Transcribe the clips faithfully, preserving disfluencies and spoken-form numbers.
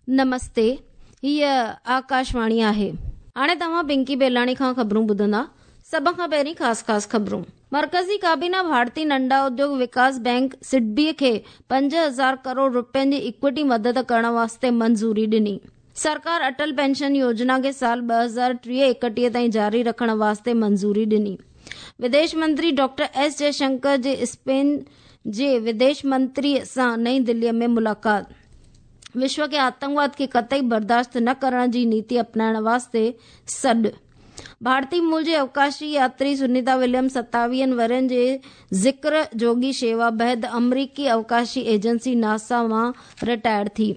نمستي، هيء آڪاشواڻي آهي. هاڻي توهان پنڪي بيلاڻي کان خبرون ٻڌندا. سڀ کان پهرين خاص خاص خبرون. مرڪزي ڪابينا ڀارتي ننڍا اديوگ وڪاس بينڪ سڊبي کي پنج هزار ڪروڙ رپين جي ايڪوٽي مدد ڪرڻ واسطي منظوري ڏني. سرڪار اٽل پينشن يوجنا کي سال ٻه هزار ٽيهه ايڪٽيهه تائين جاري رکڻ واسطي منظوري ڏني. وديش منتري ڊاڪٽر ايس جئشنڪر جي اسپين جي وديش منتري سان نئين دلي ۾ ملاقات. وشو کي آتنڪواد کي قطعي برداشت نه ڪرڻ جي نيتي اپنائڻ واسطي سڏ. ڀارتي مول جي اوڪاشي ياتري سنيتا وليمز ستاويهن ورهين جي ذڪر جوڳي شيوا بعد آمريڪي اوڪاشي ايجنسي ناسا مان رٽائر ٿي.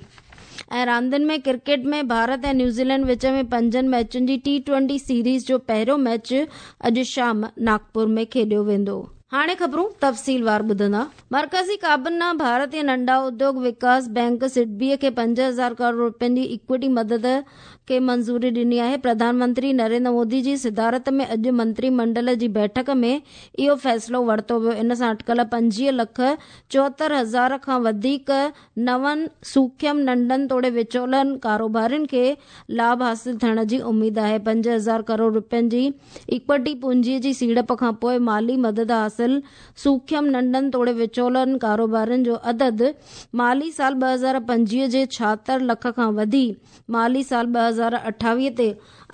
۽ راندين ۾ ڪرڪيٽ ۾ ڀارت ۽ نيوزيلينڊ وچ ۾ پنجن ميچن جي ٽي ٽوئنٽي سيريز جو پهريون ميچ اڄ شام ناگپور ۾ کيڏيو ويندو. هاڻي خبرون تفصيلوار ٻڌندا. مرڪزي ڪابينا ڀارتي ننڍا اديوگ وڪاس بينڪ سڊبي کي پنج هزار ڪروڙ رپين جي ايڪوٽي مدد کي منظوري ڏني آهي. پرڌان منتري نريندر مودي جي صدارت ۾ اڄ منتري منڊل جي بيٺڪ ۾ اهو فيصلو ورتو ويو. ان سان اٽڪل پنجويهه لک چوهتر هزار کان وڌيڪ نون سوکيم ننڍن توڙي وچولن ڪاروبارين کي لاڀ حاصل ٿيڻ جي اميد آهي. پنج هزار ڪروڙ رپين جي ايڪوٽي پونجي جي سيڙپ کان پوءِ مالي مدد حاصل سوکيم ننڍن توڙي وچولن ڪاروبارين جو عدد مالي سال ٻه هزار پنجويهه جي ڇاهتر لک کان وڌي مالي سال ٻه هزار اٺاويهه تي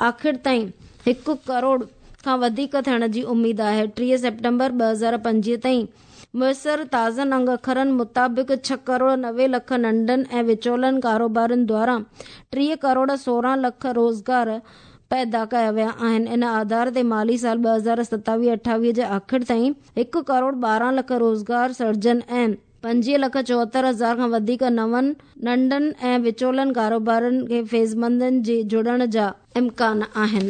آخر تائين هڪ ڪروڙ کان وڌيڪ ٿيڻ جي اميد آهي. ٽيهه سيپٽمبر ٻه هزار پنجويهه تائين ميسر تازن انگ اکرن مطابق ڇهه ڪروڙ نوي لک ننڍن ۽ وچولن ڪاروبارين دواران ٽيهه ڪروڙ سورهن لک روزگار پيدا ڪيا ويا آهن. ان آڌار تي مالي سال ٻه هزار ستاويهه اٺاويهه جي آخر تائين هڪ ڪروڙ ٻارهن لک روزگار سرجن ۽ پنجويهه لک چوهتر هزار کان وڌيڪ نون ننڍن ۽ وچولن ڪاروبارن کي فيضمندن جي جڙڻ جا امڪان آهن.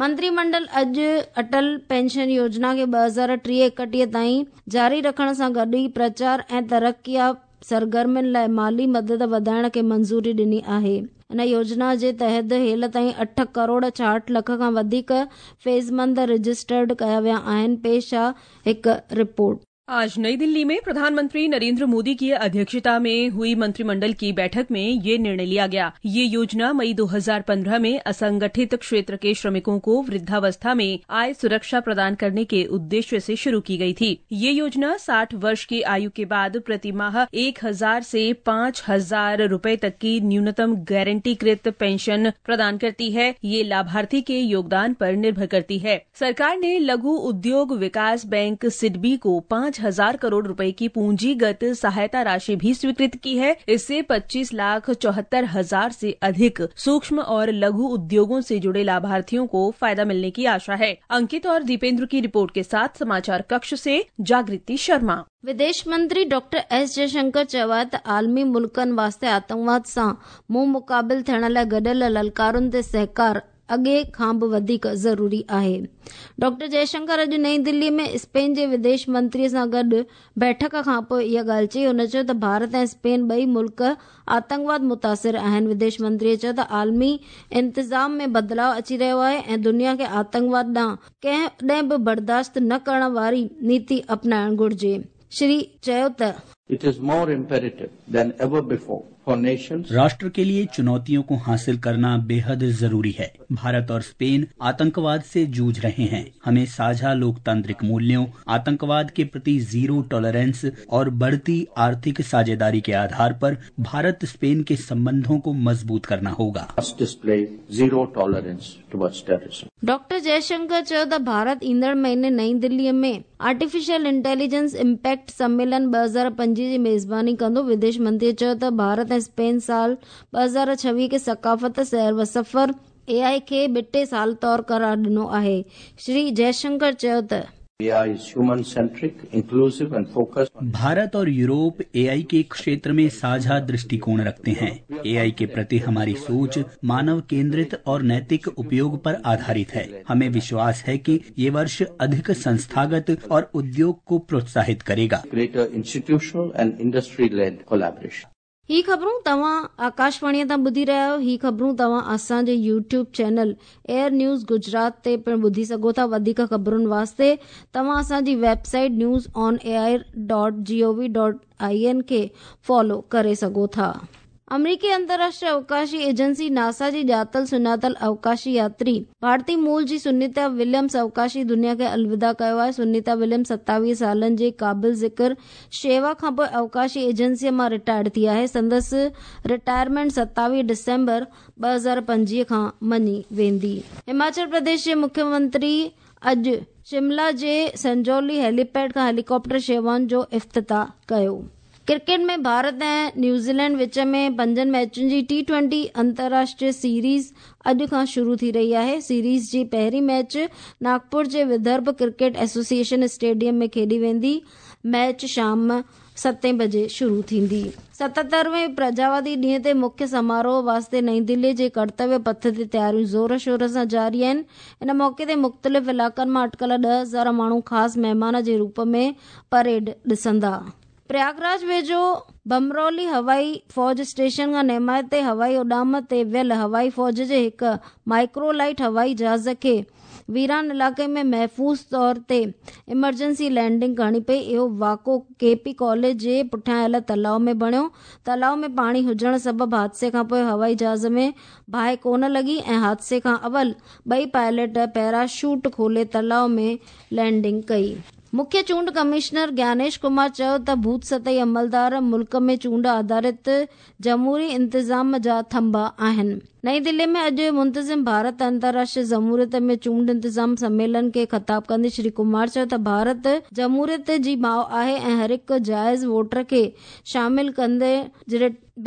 منتري منڊل اڄ اٽل پينشن يوجنا کي ٻه هزار ٽيهه ايڪٽيهه تائين جاري رکڻ سان گڏ ئي پرچار ۽ ترقيا سرگرمين لاءِ مالي مدد وڌائڻ کي منظوري ڏني آهي. ان يوجنا جي تحت هيل تائين اٺ ڪروڙ ڇاهٺ لک کان وڌيڪ فيضمند رجسٽرڊ ڪيا ويا آهن. پيش آهي هڪ رپورٽ. आज नई दिल्ली में प्रधानमंत्री नरेंद्र मोदी की अध्यक्षता में हुई मंत्रिमंडल की बैठक में ये निर्णय लिया गया। ये योजना मई दो हज़ार पंद्रह में असंगठित क्षेत्र के श्रमिकों को वृद्धावस्था में आय सुरक्षा प्रदान करने के उद्देश्य से शुरू की गई थी। ये योजना साठ वर्ष की आयु के बाद प्रतिमाह एक हजार से पाँच हजार रूपये तक की न्यूनतम गारंटीकृत पेंशन प्रदान करती है। ये लाभार्थी के योगदान पर निर्भर करती है। सरकार ने लघु उद्योग विकास बैंक सिडबी को पाँच हजार करोड़ रुपए की पूंजीगत सहायता राशि भी स्वीकृत की है। इससे पच्चीस लाख चौहत्तर हजार से अधिक सूक्ष्म और लघु उद्योगों से जुड़े लाभार्थियों को फायदा मिलने की आशा है। अंकित और दीपेंद्र की रिपोर्ट के साथ समाचार कक्ष से जागृति शर्मा। विदेश मंत्री डॉक्टर एस जयशंकर चयो आहे त आलमी मुल्कनि वास्ते आतंकवाद सां मुंहुं मुक़ाबिल थियण लाइ गॾियल ललकारुनि ते सहकार अॻे खां बि वधीक ज़रूरी आहे। डॉक्टर जयशंकर अॼु नई दिल्ली में स्पेन जे विदेश मंत्रीअ सां गॾु बैठक खां पोइ इहा ॻाल्हि चई। हुन चयो त भारत ऐं स्पेन ॿई मुल्क आतंकवाद मुतासिर आहिनि। विदेश मंत्रीअ चयो त आलमी इंतज़ाम में बदिलाव अची रहियो आहे ऐं दुनिया खे आतंकवाद ॾांहुं कॾहिं बि बर्दाश्त न करण वारी नीति अपनाइण घुरिजे। श्री चयो त It is more imperative than ever before for nations. राष्ट्र के लिए चुनौतियों को हासिल करना बेहद जरूरी है। भारत और स्पेन आतंकवाद से जूझ रहे हैं। हमें साझा लोकतांत्रिक मूल्यों, आतंकवाद के प्रति जीरो टॉलरेंस और बढ़ती आर्थिक साझेदारी के आधार पर भारत स्पेन के संबंधों को मजबूत करना होगा। Must display zero tolerance towards terrorism. Doctor Jaishankar चयो त भारत ईंदड़ महीने नई दिल्लीअ में आर्टिफिशियल इंटेलिजेंस इम्पैक्ट सम्मेलन ٻه هزار پنجويهه جي मेज़बानी कंदो। विदेश मंत्रीअ चयो त भारत ऐं स्पेन साल ٻه هزار ڇويهه खे सकाफ़त, सैर व सफ़र, ए आई खे ॿिटे साल तौर करार ॾिनो आहे। श्री जयशंकर चयो त A I is human-centric, inclusive and focused. Bharat और यूरोप ए आई के क्षेत्र में साझा दृष्टिकोण रखते हैं। ए आई के प्रति हमारी सोच मानव केंद्रित और नैतिक उपयोग पर आधारित है। हमें विश्वास है कि ये वर्ष अधिक संस्थागत और उद्योग को प्रोत्साहित करेगा। Greater institutional and industry-led collaboration. ही ख़बरूं तव्हां आकाशवाणीअ तां ॿुधी रहिया आहियो। ही ख़बरूं तव्हां असांजे YouTube channel AIR news Gujarat ते पिणु ॿुधी सघो था। वधीक ख़बरुनि वास्ते तव्हां असांजी website news on A I dot G O V dot I N खे फॉलो करे सघो था। अमरीकी अंतर्राष्ट्रीय अवकाशी एजेंसी नासा जी ॼातल सुञातल अवकाशी यात्री भारतीय मूल जी सुनीता विलियम्स अवकाशी दुनिया खे अलविदा कयो आहे। सुनीता विलियम्स सत्तावीह सालनि जे क़ाबिल ज़िक्र शेवा खां पोइ अवकाशी एजेंसीअ मां रिटायर्ड थी आहे। संदसि रिटायरमेंट सत्तावीह डिसेंबर ॿ हज़ार पंजवीह खां मञी वेंदी। हिमाचल प्रदेश जे मुख्यमंत्री अॼु शिमला जे संजौली हेलीपैड खां हेलीकॉप्टर शेवाउनि जो इफ़्तिताह कयो। क्रिकेट में भारत ऐं न्यूज़ीलैंड विच में पंजनि मैचुनि जी टी ट्वेंटी अंतर्राष्ट्रीय सीरीज़ अॼु खां शुरू थी रही आहे। सीरीज़ जी पहिरीं मैच नागपुर जे विदर्भ क्रिकेट एसोसिएशन स्टेडियम में खेॾी वेंदी। मैच शाम सतें बजे शुरू थींदी। सतहतरवें प्रजावादी ॾींहं ते मुख्य समारोह वास्ते नई दिल्ली जे कर्तव्य पथ ते तयारियूं ज़ोर शोर सां जारी आहिनि। इन मौक़े ते मुख़्तलिफ़ इलाइक़नि मां अटकल ॾह हज़ार माण्हू ख़ासि महिमान जे रूप में परेड ॾिसंदा। प्रयागराज वेझो बमरौली हवाई फौज स्टेशन खां नेमाए ते हवाई उॾाम ते वियल हवाई फौज जे हिकु माइक्रोलाइट हवाई जहाज़ खे वीरान इलाइक़े में महफ़ूज़ तौर ते इमरजेंसी लैंडिंग करणी पई। इहो वाक़ो के पी कॉलेज जे पुठियां आयल तलाउ में बणियो। तलाउ में पाणी हुजण सबबि हादसे खां पोइ हवाई जहाज़ में बाहि कोन लॻी ऐं हादसे खां अवल ॿई पायलट पैराशूट खोले तलाउ में लैंडिंग कई। मुख्य चूंड कमिश्नर ज्ञानेश कुमार चयो त बूथ सतही अमलदार मुल्क में चूंड आधारित जमहूरी इंतज़ाम जा थंभा आहिनि। नई दिल्ली में अॼु मुंतज़िम भारत अंतर्राष्ट्रीय जमहूरियत में चूंड इंतज़ाम सम्मेलन खे ख़िताब कंदे श्री कुमार चयो त भारत जमहूरियत जी माउ आहे ऐं हर हिकु जाइज़ वोटर खे शामिल कंदे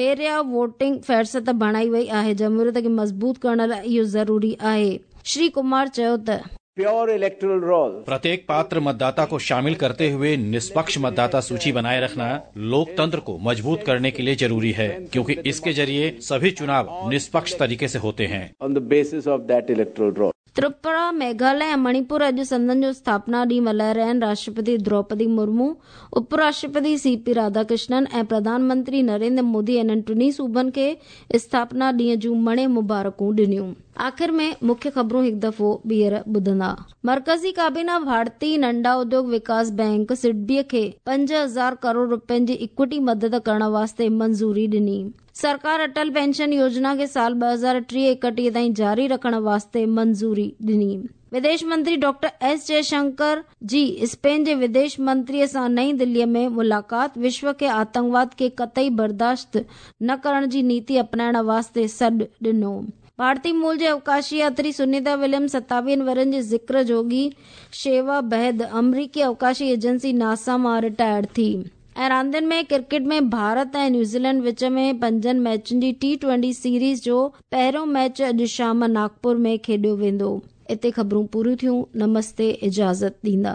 बेरिया वोटिंग फ़हरिस्त बणाई वई आहे। जमहूरियत खे मज़बूत करण लाइ इहो ज़रूरी आहे। श्री कुमार चयो त प्योर इलेक्टोरल रोल प्रत्येक पात्र मतदाता को शामिल करते हुए निष्पक्ष मतदाता सूची बनाए रखना लोकतंत्र को मजबूत करने के लिए जरूरी है, क्योंकि इसके जरिए सभी चुनाव निष्पक्ष तरीके से होते हैं। On the basis of that electoral roll. Tripura, Meghalaya ऐं मणिपुर अॼु संदन जो स्थापना ॾींहुं मल्हाए रहिया आहिनि। राष्ट्रपति द्रौपदी मुर्मू, उपराष्ट्रपति सी पी राधाकृष्णन ऐं प्रधानमंत्री नरेंद्र मोदी इन्हनि टिन्ही सूबनि खे स्थापना ॾींहं जूं मणे मुबारकूं ॾिनियूं। आख़िर में मुख्य ख़बरूं हिकु दफ़ो ॿीहर ॿुधंदा। मर्कज़ी काबीना भारतीय नंढा उद्योग विकास बैंक सिडबीअ खे पंज हज़ार करोड़ रुपयनि जी इक्विटी मदद करण वास्ते मंज़ूरी ॾिनी। सरकार अटल पेंशन योजना खे साल ॿ हज़ार टीह एकटीह ताईं जारी रखण वास्ते मंज़ूरी ॾिनी। विदेश मंत्री डॉक्टर एस जयशंकर जी स्पेन जे विदेश मंत्रीअ सां नई दिल्लीअ में मुलाक़ात। विश्व खे आतंकवाद खे कतई बर्दाश्त न करण जी नीति अपनाइण वास्ते सॾु ॾिनो। भारतीय मूल जे अवकाशी यात्री सुनीता विलियम्स सत्तावीहनि वरनि जे ज़िक्र जोगी शेवा बाद अमरीकी अवकाशी एजेंसी नासा मां रिटायर्ड थी। ऐं रांदियुनि में क्रिकेट में भारत ऐं न्यूज़ीलैंड विच में पंजनि मैचुनि जी टी ट्वेंटी सीरीज़ जो पहिरियों मैच अॼु शाम नागपुर में खेॾियो वेंदो। हिते ख़बरूं पूरियूं थियूं। नमस्ते, इजाज़त ॾींदा।